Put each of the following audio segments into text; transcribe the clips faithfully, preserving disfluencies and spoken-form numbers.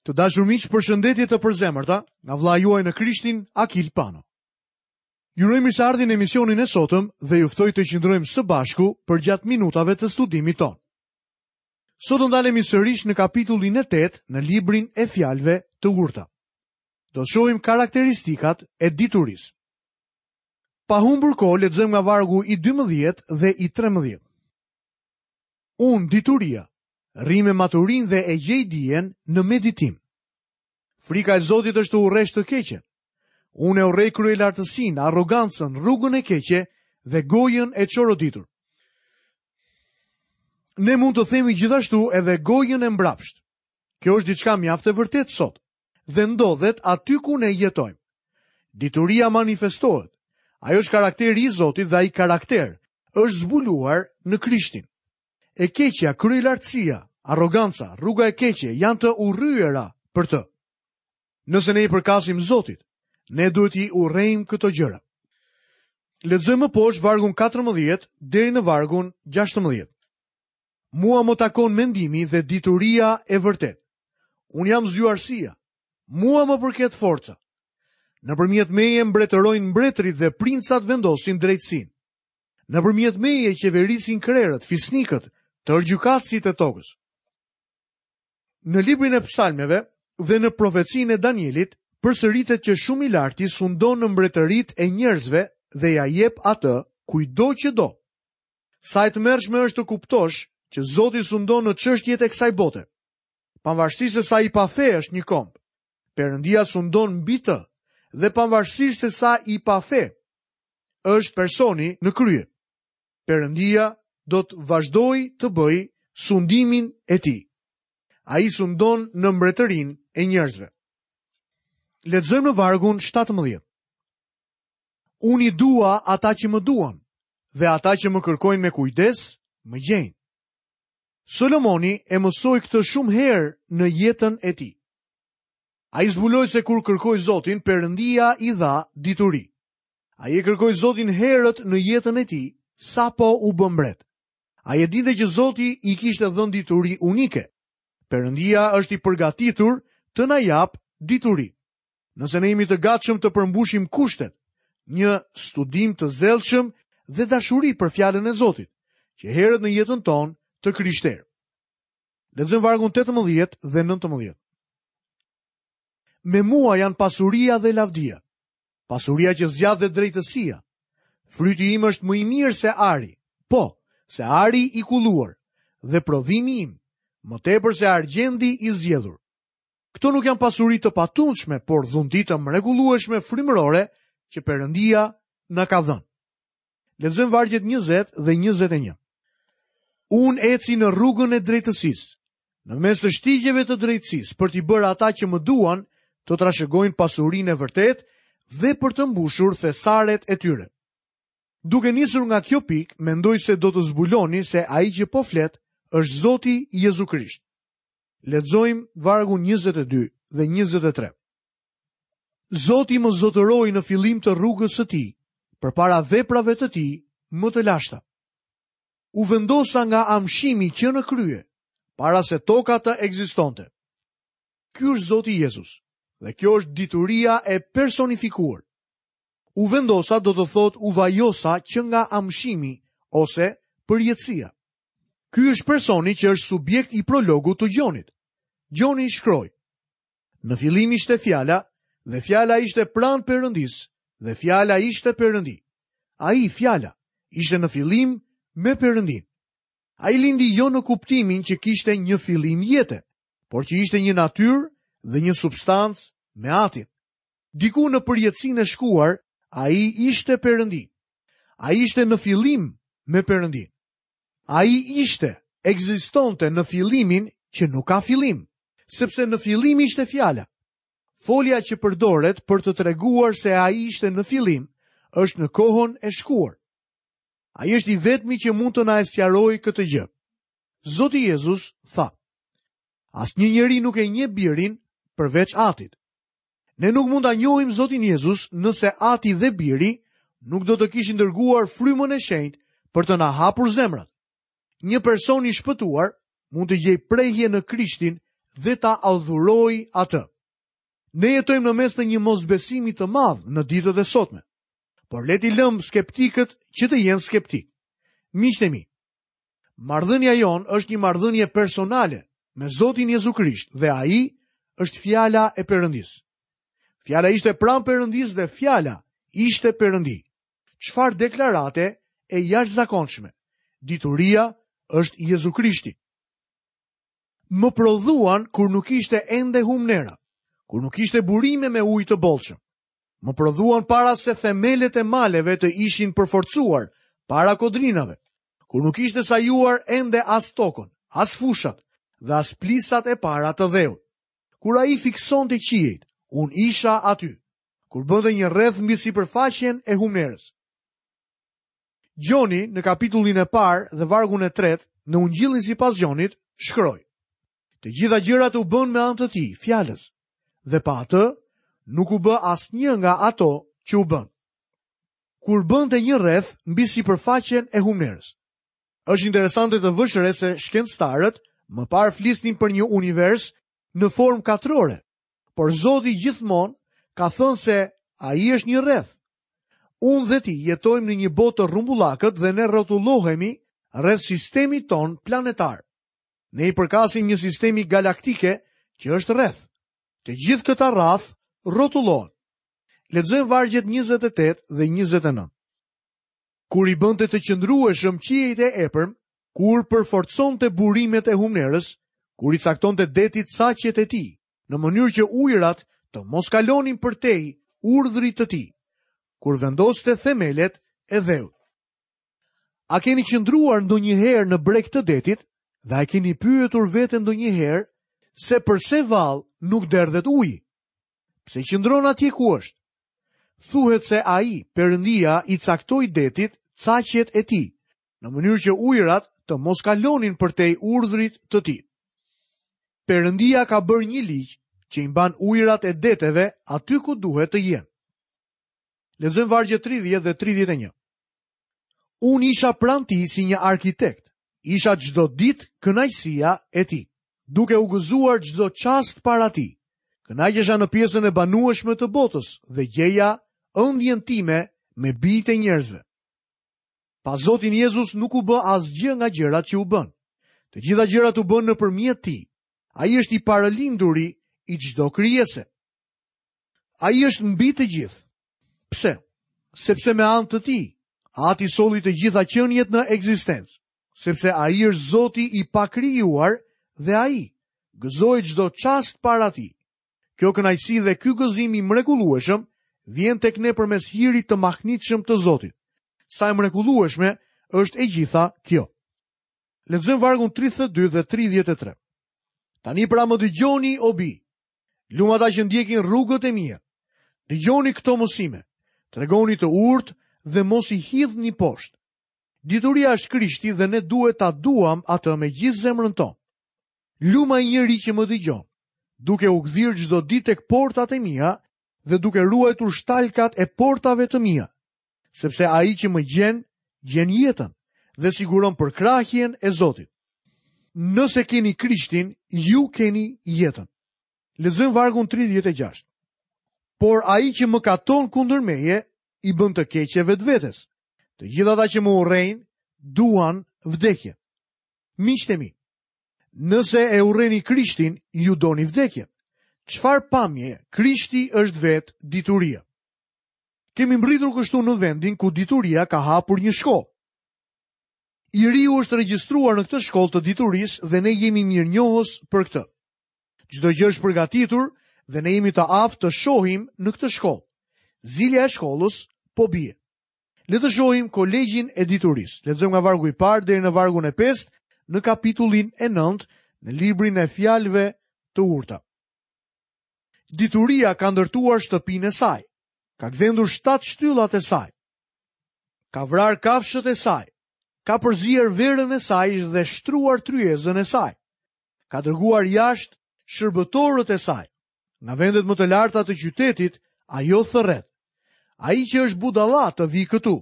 Të dashur miq, përshëndetje të përzemërta nga vëllai juaj në Krishtin, Akil Pano. Ju uroj mirëseardhjen në emisionin e sotëm dhe ju ftoj të qëndrojmë së bashku përgjatë minutave të studimit tonë. Sot do ndalemi sërish në kapitullin e tetë në librin e fjalëve të urta. Do të shohim karakteristikat e diturisë. Pa humbur kohë, lexojmë nga vargu i dymbëdhjetë dhe i trembëdhjetë. Unë, dituria, rri me maturinë dhe e gjej dijen në meditim. Frika e Zotit është të urresh të keqen. Unë e urrej kryelartësinë, arrogancën, rrugën e keqe dhe gojën e çoroditur. Ne mund të themi gjithashtu edhe gojën e mbrapsht. Kjo është diçka mjaft e vërtetë sot dhe ndodhet aty ku ne jetojmë. Dituria manifestohet. Ajo është karakteri i Zotit dhe ai karakter është zbuluar në Krishtin. E keqja, kryelartësia, arroganca, rruga e keqe janë të urryera për të. Nëse ne i përkasim Zotit, ne duhet i urrejmë këto gjëra. Lexojmë më poshtë vargun katërmbëdhjetë deri në vargun gjashtëmbëdhjetë. Mua më takon mendimi dhe dituria e vërtetë. Unë jam zgjuarsia. Mua më përket forca. Nëpërmjet meje mbretërojnë mbretërit dhe princat vendosin drejtësinë. Nëpërmjet meje qeverisin krerët, fisnikët, tërë gjykatësit e tokës. Në librin e psalmeve dhe në profecinë e Danielit, përsëritet që shumë i larti sundon në mbretëritë e njerëzve dhe ja jep atë kujtdo që do. Sa e tmerrshme është të kuptosh që Zoti sundon në çështjet e kësaj bote. Pavarësisht se sa i pafe është një komb, Perëndia sundon mbi të dhe pavarësisht se sa i pafe është personi në krye, Perëndia do të vazhdojë të bëjë sundimin e tij. Ai sundon në mbretërinë e njerëzve. Lexojmë në vargun shtatëmbëdhjetë. Unë i dua ata që më duan dhe ata që më kërkojnë me kujdes, më gjejnë. Solomoni e mësoi këtë shumë herë në jetën e tij. Ai zbuloi se kur kërkoi Zotin, Perëndia i dha dituri. Ai e kërkoi Zotin herët në jetën e tij, sapo u bë mbret. Ai e dinte që Zoti i kishte dhënë dituri unike. Perëndia është i përgatitur të na jap dituri. Nëse ne jemi të gatshëm të përmbushim kushtet, një studim të zellshëm dhe dashuri për fjalën e Zotit, që herët në jetën tonë të krishterë. Lexojmë vargun tetëmbëdhjetë dhe nëntëmbëdhjetë. Me mua janë pasuria dhe lavdia, pasuria që zgjat dhe drejtësia. Fryti im është më i mirë se ari, po, se ari i kulluar, dhe prodhimi im, më tepër se argjendi i zgjedhur. Këto nuk janë pasuri të patundshme, por dhunti të mrekullueshme frymërore që Perëndia na ka dhënë. Lexojmë vargjet njëzet dhe njëzet e një. Unë eci në rrugën e drejtësisë, në mes të shtigjeve të drejtësisë, për t'i bërë ata që më duan të trashëgojnë pasurinë e vërtetë dhe për të mbushur thesaret e tyre. Duke nisur nga kjo pikë, mendoj se do të zbuloni se ai që po flet është Zoti Jezu Krisht. Lexojmë vargun njëzet e dy dhe njëzet e tre. Zoti më zotëroi në fillim të rrugës së tij, përpara veprave të tij më të lashta. U vendosa nga amshimi që në krye, para se toka të ekzistonte. Ky është Zoti Jezus, dhe kjo është dituria e personifikuar. U vendosa do të thotë u vajosa që nga amshimi ose përjetësia. Ky është personi që është subjekt i prologut të Gjonit. Gjoni shkroi: Në fillim ishte fjala, dhe fjala ishte pranë Perëndisë, dhe fjala ishte Perëndi. Ai, fjala, ishte në fillim me Perëndin. Ai lindi jo në kuptimin që kishte një fillim jete, por që ishte një natyrë dhe një substancë me Atin. Diku në përjetësinë e shkuar, ai ishte Perëndi. Ai ishte në fillim me Perëndin. Ai ishte, ekzistonte në fillimin që nuk ka fillim, sepse në fillim ishte fjala. Folja që përdoret për të treguar se ai ishte në fillim është në kohën e shkuar. Ai është i vetmi që mund të na e sqarojë këtë gjë. Zoti Jezus tha: Asnjë njeri nuk e njeh birin përveç Atit. Ne nuk mund ta njohim Zotin Jezus nëse Ati dhe Biri nuk do të kishin dërguar frymën e shenjtë për të na hapur zemrat. Një person i shpëtuar mund të gjejë prehje në Krishtin dhe ta adhurojë atë. Ne jetojmë në mes të një mosbesimi të madh në ditët e sotme. Por le t'i lëmë skeptikët që të jenë skeptik. Miqtë e mi, marrëdhënia jonë është një marrëdhënie personale me Zotin Jezu Krisht dhe ai është fjala e Perëndisë. Fjala ishte pranë Perëndisë dhe fjala ishte Perëndi. Çfarë deklarate e jashtëzakonshme. Dituria është Jezu Krishti. Më prodhuan kur nuk ishte ende humnera, kur nuk ishte burime me ujë të bollshëm. Më prodhuan para se themelet e maleve të ishin përforcuar, para kodrinave, kur nuk ishte sajuar ende as tokën, as fushat dhe as plisat e para të dheut. Kur ai fiksonte qiejt, unë isha aty, kur bënte një rreth mbi sipërfaqen e humnerës. Gjoni në kapitullin e parë dhe vargun e tretë në Ungjillin sipas Gjonit shkroi: Të gjitha gjërat u bën me anë të tij, fjalës, dhe pa atë nuk u bë asnjë nga ato që u bën. Kur bënte një rreth mbi sipërfaqen e humnerës. Është interesante të vësh re se shkencëtarët më parë flisnin për një univers në formë katrore, por Zoti gjithmonë ka thënë se ai është një rreth. Unë dhe ti jetojmë në një botë të rrumbullakët dhe ne rrotullohemi rreth sistemit ton planetar. Ne i përkasim një sistemi galaktike që është rreth. Të gjithë këta rrath rrotullohen. Lexojmë vargjet njëzet e tetë dhe njëzet e nëntë. Kur i bënte të qëndrueshëm qiejt e epërm, kur përforconte burimet e humnerës, kur i caktonte detit caqet e tij, në mënyrë që ujërat të mos kalonin përtej urdhrit të tij, kur vendoste themelet e dheut. A keni qëndruar ndonjëherë në breg të detit dhe a keni pyetur veten ndonjëherë se përse vallë nuk derdhet uji? Pse qëndron atje ku është? Thuhet se ai, Perëndia, i caktoi detit caqet e tij, në mënyrë që ujërat të mos kalonin përtej urdhrit të tij. Perëndia ka bërë një ligj që i mban ujërat e deteve aty ku duhet të jenë. Lexojmë vargjet tridhjetë dhe tridhjetë e një. Unë isha pranë tij si një arkitekt, isha çdo ditë kënaqësia e tij, duke u gëzuar çdo çast para tij. Kënaqesha në pjesën e banueshme të botës dhe gjeja ëndjen time me bijtë e njerëzve. Pa Zotin Jezus nuk u bë asgjë nga gjërat që u bën. Të gjitha gjërat u bën nëpërmjet tij. Ai është i paralinduri i çdo krijese. Ai është mbi të gjithë. Pse? Sepse me anë të tij, Ati solli të gjitha qeniet në ekzistencë, sepse ai është Zoti i pakrijuar dhe ai gëzoi çdo çast para tij. Kjo kënaqësi dhe ky gëzim i mrekullueshëm vjen tek ne përmes hirit të mahnitshëm të Zotit. Sa e mrekullueshme është e gjitha kjo. Lexojmë vargun tridhjetë e dy dhe tridhjetë e tre. Tani pra më dëgjoni, o bi, lum ata që ndjekin rrugët e mia. Dëgjoni këto mësime. Tregoni të urtë dhe mos i hidhni poshtë. Dituria është Krishti dhe ne duhet ta duam atë me gjithë zemrën tonë. Lum ai njeri që më dëgjon, duke u gdhir çdo ditë tek portat e mia dhe duke ruajtur shtalkat e portave të mia, sepse ai që më gjen, gjen jetën dhe siguron përkrahjen e Zotit. Nëse keni Krishtin, ju keni jetën. Lexojmë vargun tridhjetë e gjashtë. Por ai që më katon kundër meje, i bën të keqe vetvetes. Të gjithë ata që më urrejnë, duan vdekjen. Miqtë e mi, nëse e urreni Krishtin, ju doni vdekjen. Çfarë pamje, Krishti është vetë dituria. Kemi mbërritur kështu në vendin ku dituria ka hapur një shkollë. I riu është regjistruar në këtë shkollë të diturisë dhe ne jemi mirënjohës për këtë. Çdo gjë është përgatitur dhe ne jemi të aftë të shohim në këtë shkollë. Zilja e shkollës po bie. Le të shohim kolegjin e diturisë. Lexojmë nga vargu i parë deri në vargun e pestë në kapitullin e nëntë në librin e fjalëve të urta. Dituria ka ndërtuar shtëpinë e saj, ka gdhendur shtatë shtyllat e saj, ka vrarë kafshët e saj, ka përzier verën e saj dhe shtruar tryezën e saj, ka dërguar jashtë shërbëtorët e saj. Nga vendet më të larta të qytetit, ajo thërret. Ai që është budalla të vi këtu.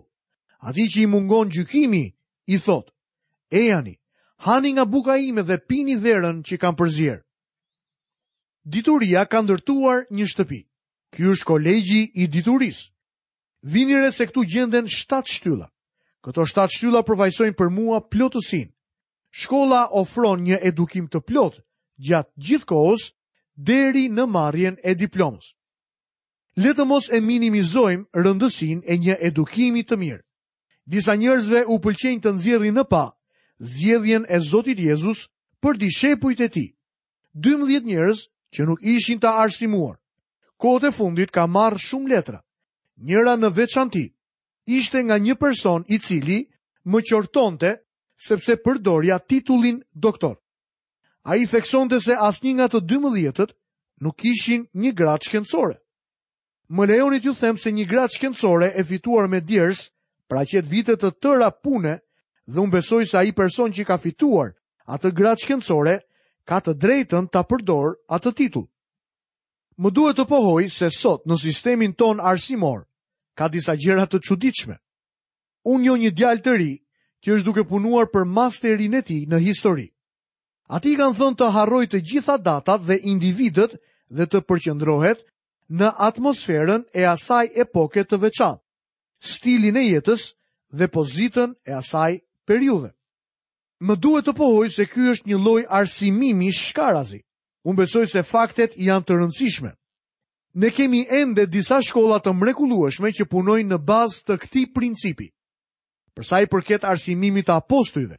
Atij që i mungon gjykimi, i thot: Ejani, hani nga buka ime dhe pini verën që kam përzier. Dituria ka ndërtuar një shtëpi. Ky është kolegji i diturisë. Vini re se këtu gjenden shtatë shtylla. Këto shtatë shtylla përfaqësojnë për mua plotësinë. Shkolla ofron një edukim të plotë gjatë gjithë kohës deri në marrjen e diplomës. Le të mos e minimizojmë rëndësinë e një edukimi të mirë. Disa njerëzve u pëlqejnë të nxjerrin në pah zgjedhjen e Zotit Jezus për dishepujt e tij. dymbëdhjetë njerëz që nuk ishin të arsimuar. Kohët e fundit ka marrë shumë letra. Njëra në veçanti ishte nga një person i cili më qortonte sepse përdorja titullin doktor. Ai theksonte se asnjë nga të dymbëdhjetët nuk ishin një gradë shkencore. Më lejoni t'ju them se një gradë shkencore e fituar me djersë paraqet vite të tëra pune dhe unë besoj se ai person që ka fituar atë gradë shkencore ka të drejtën ta përdor atë titull. Më duhet të pohoj se sot në sistemin ton arsimor ka disa gjëra të çuditshme. Unë njoh një djalë të ri që është duke punuar për masterin e tij në histori. Atij i kanë thënë të harroj të gjitha datat dhe individët dhe të përqendrohet në atmosferën e asaj epoke të veçantë, stilin e jetës dhe pozitën e asaj periudhe. Më duhet të pohoj se ky është një lloj arsimimi shkarazi. Unë besoj se faktet janë të rëndësishme. Ne kemi ende disa shkolla të mrekullueshme që punojnë në bazë të këtij principi. Për sa i përket arsimimit të apostujve,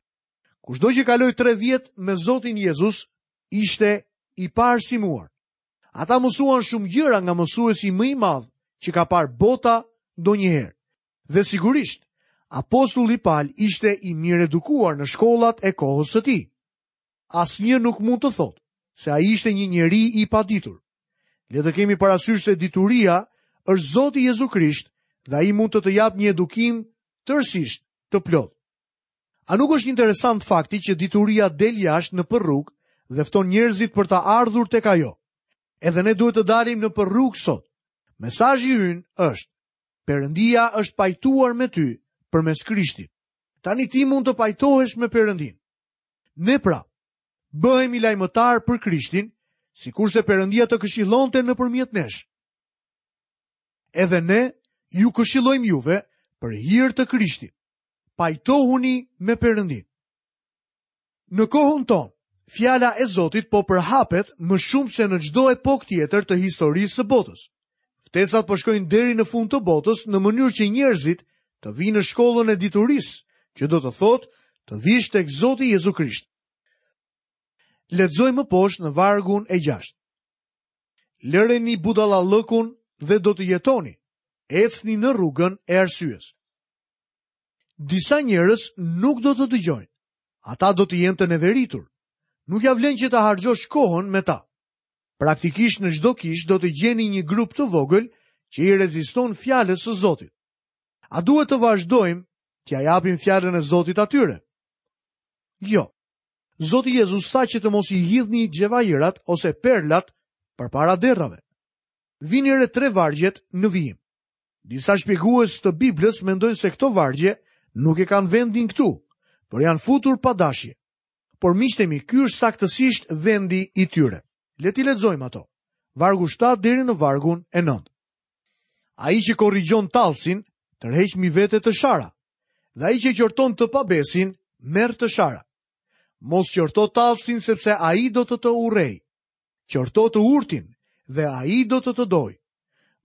kushdo që kaloi tre vjet me Zotin Jezus ishte i paarsimuar. Ata mësuan shumë gjëra nga mësuesi më i madh që ka parë bota ndonjëherë. Dhe sigurisht, apostulli Paul ishte i mirë edukuar në shkollat e kohës së tij. Asnjë nuk mund të thotë se ai ishte një njeri i paditur. Le të kemi parasysh se dituria është Zoti Jezu Krisht dhe ai mund të të japë një edukim tërësisht të plotë. A nuk është interesant fakti që dituria del jashtë në përrugë dhe fton njerëzit për të ardhur tek ajo? Edhe ne duhet të dalim në përrugë sot. Mesazhi ynë është: Perëndia është pajtuar me ty përmes Krishtit. Tani ti mund të pajtohesh me Perëndin. Ne pra, bëhemi lajmëtar për Krishtin, sikurse Perëndia të këshillonte nëpërmjet nesh. Edhe ne ju këshillojmë juve për hir të Krishtit. Pajtohuni me Perëndin. Në kohën tonë, fjala e Zotit po përhapet më shumë se në çdo epokë tjetër të historisë së botës. Ftesat po shkojnë deri në fund të botës në mënyrë që njerëzit të vinë në shkollën e diturisë, që do të thotë të vish tek Zoti Jezu Krisht. Lexojmë më poshtë në vargun e gjashtë. Lëreni budallallëkun dhe do të jetoni. Ecni në rrugën e arsyes. Disa njerëz nuk do të dëgjojnë. Ata do të jenë të neveritur. Nuk ja vlen që të harxhosh kohën me ta. Praktikisht në çdo kishë do të gjeni një grup të vogël që i reziston fjalës së Zotit. A duhet të vazhdojmë t'ja japim fjalën e Zotit atyre? Jo. Zoti Jezus tha që të mos i hidhni xhevairat ose perlat përpara derrave. Vini re tre vargjet në vijim. Disa shpjegues të Biblës mendojnë se këto vargje nuk e kanë vendin këtu, por janë futur pa dashje. Por miqtë mi, ky është saktësisht vendi i tyre. Le t'i lexojmë ato. Vargu shtatë deri në vargun e nëntë. Ai që korrigjon tallsin, tërheq mbi vete të shara, dhe ai që qorton të pabesin, merr të shara. Mos qorto tallsin sepse ai do të të urrej. Qorto të urtin dhe ai do të të dojë.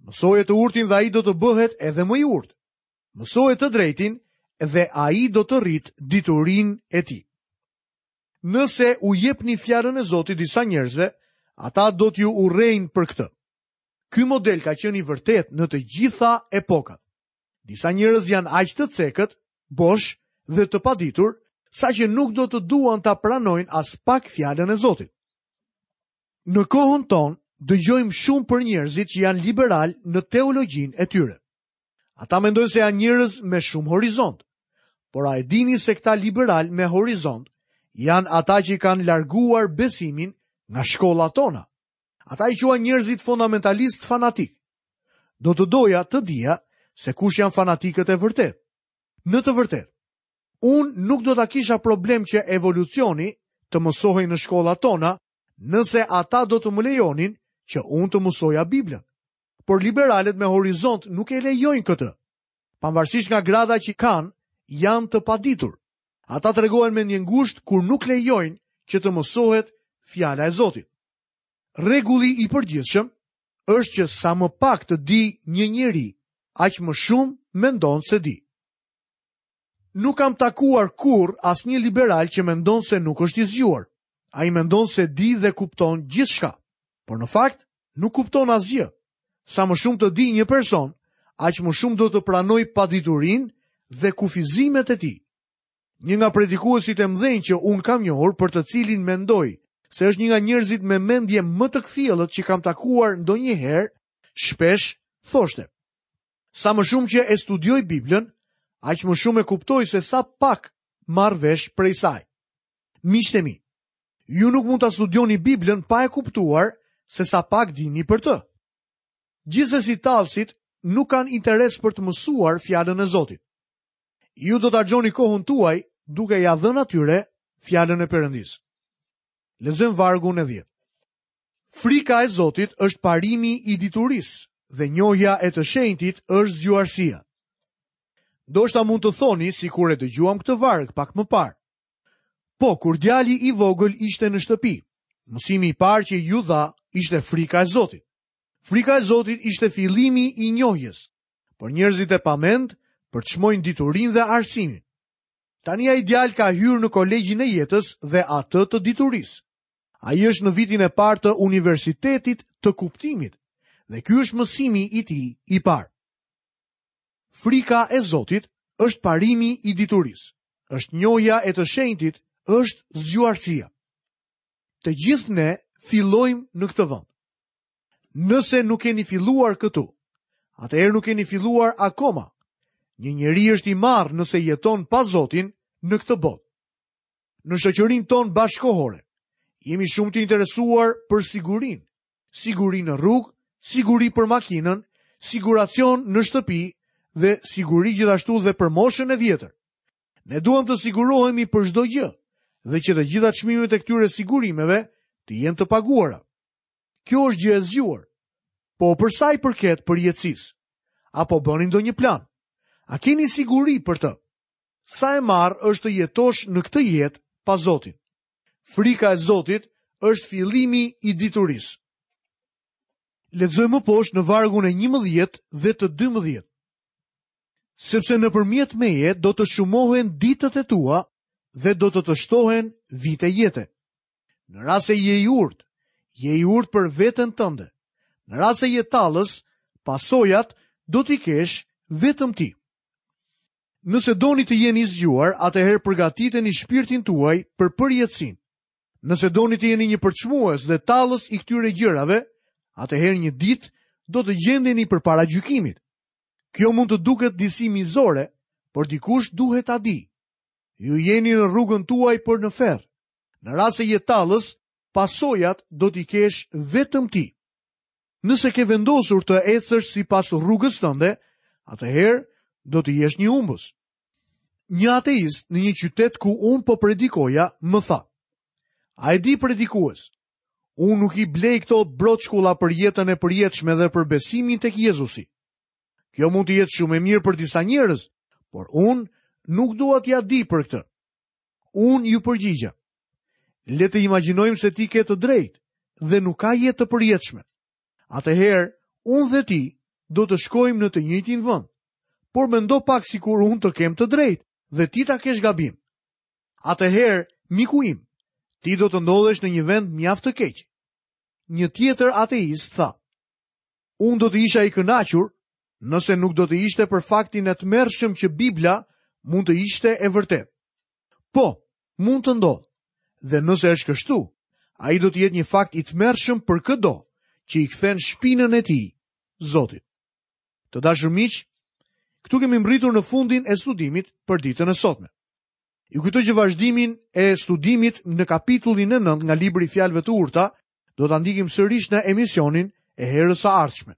Mësoje të urtin dhe ai do të bëhet edhe më i urtë. Mësoje të drejtin dhe ai do të rrit diturinë e tij. Nëse u jepni fjalën e Zotit disa njerëzve, ata do t'ju urrejnë për këtë. Ky model ka qenë i vërtet në të gjitha epokat. Disa njerëz janë aq të cekët, bosh dhe të paditur, saqë nuk do të duan ta pranojnë as pak fjalën e Zotit. Në kohën tonë, dëgjojmë shumë për njerëzit që janë liberal në teologjinë e tyre. Ata mendojnë se janë njerëz me shumë horizont, por a e dini se këta liberal me horizont janë ata që kanë larguar besimin nga shkollat tona? Ata i quajnë njerëzit fundamentalist fanatik. Do të doja të dija se kush janë fanatikët e vërtetë. Në të vërtetë, unë nuk do ta kisha problem që evolucioni të mësohej në shkollat tona nëse ata do të më lejonin që unë të mësoja Biblën. Por liberalët me horizont nuk e lejojnë këtë. Pavarësisht nga grada që kanë, janë të paditur. Ata tregohen mendjengusht kur nuk lejojnë që të mësohet fjala e Zotit. Rregulli i përgjithshëm është që sa më pak të di një njeri, aq më shumë mendon se di. Nuk kam takuar kurrë asnjë liberal që mendon se nuk është i zgjuar. Ai mendon se di dhe kupton gjithçka, por në fakt nuk kupton asgjë. Sa më shumë të di një person, aq më shumë do të pranojë paditurinë dhe kufizimet e tij. Një nga predikuesit e mëdhenj që unë kam njohur, për të cilin mendoj se është një nga njerëzit me mendje më të kthjellët që kam takuar ndonjëherë, shpesh thoshte: Sa më shumë që e studioj Biblën, aq më shumë e kuptoj se sa pak marr vesh prej saj. Miqtë e mi, ju nuk mund ta studioni Biblën pa e kuptuar se sa pak dini për të. Gjithsesi tallësit nuk kanë interes për të mësuar fjalën e Zotit. Ju do ta gjoni kohën tuaj duke ja dhënë atyre fjalën e Perëndisë. Lexojmë vargun e dhjetë. Frika e Zotit është parimi i diturisë dhe njohja e të shenjtit është zgjuarsia. Ndoshta mund të thoni sikur e dëgjuam këtë varg pak më parë. Po, kur djali i vogël ishte në shtëpi, mësimi i parë që ju dha ishte frika e Zotit. Frika e Zotit ishte fillimi i njohjes, por njerëzit e pamend përçmojnë diturinë dhe arsimin. Tani ai djalë ka hyrë në kolegjin e jetës dhe atë të diturisë. Ai është në vitin e parë të universitetit të kuptimit dhe ky është mësimi i tij i parë. Frika e Zotit është parimi i diturisë. Është njohja e të shenjtit, është zgjuarsia. Të gjithë ne fillojmë në këtë vend. Nëse nuk keni filluar këtu, atëherë nuk keni filluar akoma. Një njeri është i marrë nëse jeton pa Zotin në këtë botë. Në shoqërinë tonë bashkohore, jemi shumë të interesuar për sigurinë. Siguri në rrugë, siguri për makinën, siguracion në shtëpi dhe siguri gjithashtu dhe për moshën e vjetër. Ne duam të sigurohemi për çdo gjë dhe që të gjitha çmimet e këtyre sigurimeve të jenë të paguara. Kjo është gjë e zgjuar. Po për sa i përket përjetësisë, apo bëni ndonjë plan? A keni siguri për të? Sa e marrë është të jetosh në këtë jetë pa Zotin? Frika e Zotit është fillimi i diturisë. Lexojmë më poshtë në vargun e njëmbëdhjetë dhe të dymbëdhjetë. Sepse nëpërmjet meje do të shumohen ditët e tua dhe do të të shtohen vite jete. Në rast se je i urtë, je i urtë për veten tënde. Në rast se je tallës, pasojat do t'i kesh vetëm ti. Nëse doni të jeni zgjuar, atëherë përgatiteni shpirtin tuaj për përjetësinë. Nëse doni të jeni një përçmues dhe tallës i këtyre gjërave, atëherë një ditë do të gjendeni përpara gjykimit. Kjo mund të duket disi mizore, por dikush duhet ta di. Ju jeni në rrugën tuaj për në ferr. Në rast se je tallës, pasojat do t'i kesh vetëm ti. Nëse ke vendosur të ecësh sipas rrugës tënde, atëherë do të jesh një humbës. Një ateist në një qytet ku unë po predikoja më tha: A e di predikues? Unë nuk i blej këto broçkulla për jetën e përjetshme dhe për besimin tek Jezusi. Kjo mund të jetë shumë e mirë për disa njerëz, por unë nuk dua t'ia di për këtë. Unë ju përgjigja: Le të imagjinojmë se ti ke të drejtë dhe nuk ka jetë të përjetshme. Atëherë, unë dhe ti do të shkojmë në të njëjtin vend. Por mendo pak sikur unë të kem të drejtë dhe ti ta kesh gabim. Atëherë, miku im, ti do të ndodhesh në një vend mjaft të keq. Një tjetër ateist tha: Unë do të isha i kënaqur nëse nuk do të ishte për faktin e tmerrshëm që Bibla mund të ishte e vërtetë. Po, mund të ndodhë. Dhe nëse është kështu, ai do të jetë një fakt i tmerrshëm për këdo që i kthen shpinën e tij Zotit. Të dashur miq, këtu kemi mbërritur në fundin e studimit për ditën e sotme. Ju kujtoj që vazhdimin e studimit në kapitullin e nëntë nga libri i Fjalëve të Urta do ta ndjekim sërish në emisionin e herës së ardhshme.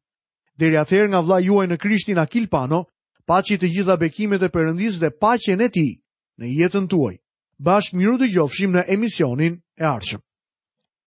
Deri atëherë nga vëllai juaj në Krishtin Akil Pano, paçi të gjitha bekimet e Perëndisë dhe paqen e tij në jetën tuaj. Bashkë miru dëgjofshim në emisionin e ardhshëm.